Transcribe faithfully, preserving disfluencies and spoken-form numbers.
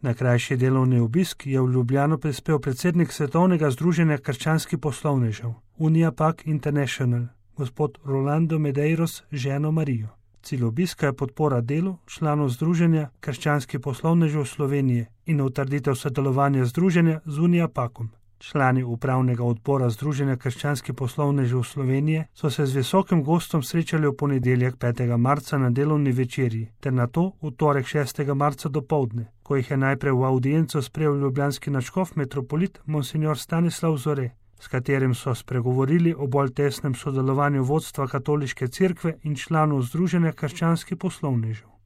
Na krajši delovni obisk je v Ljubljano prispel predsednik Svetovnega združenja krščanskih poslovnežev Uniapac International, gospod Rolando Medeiros z ženo Marijo. Cilj obiska je podpora delu članov Združenja krščanskih poslovnežev Slovenije in utrditev sodelovanja združenja z Uniapacom. Člani upravnega odbora Združenja krščanskih poslovnežev Slovenije so se z visokim gostom srečali v ponedeljek petega marca na delovni večerji, ter nato v torek šestega marca dopoldne, ko jih je najprej v avdienco sprejel ljubljanski nadškof metropolit monsignor Stanislav Zore, s katerim so spregovorili o bolj tesnem sodelovanju vodstva katoliške cerkve in članov Združenja krščanskih poslovnežev.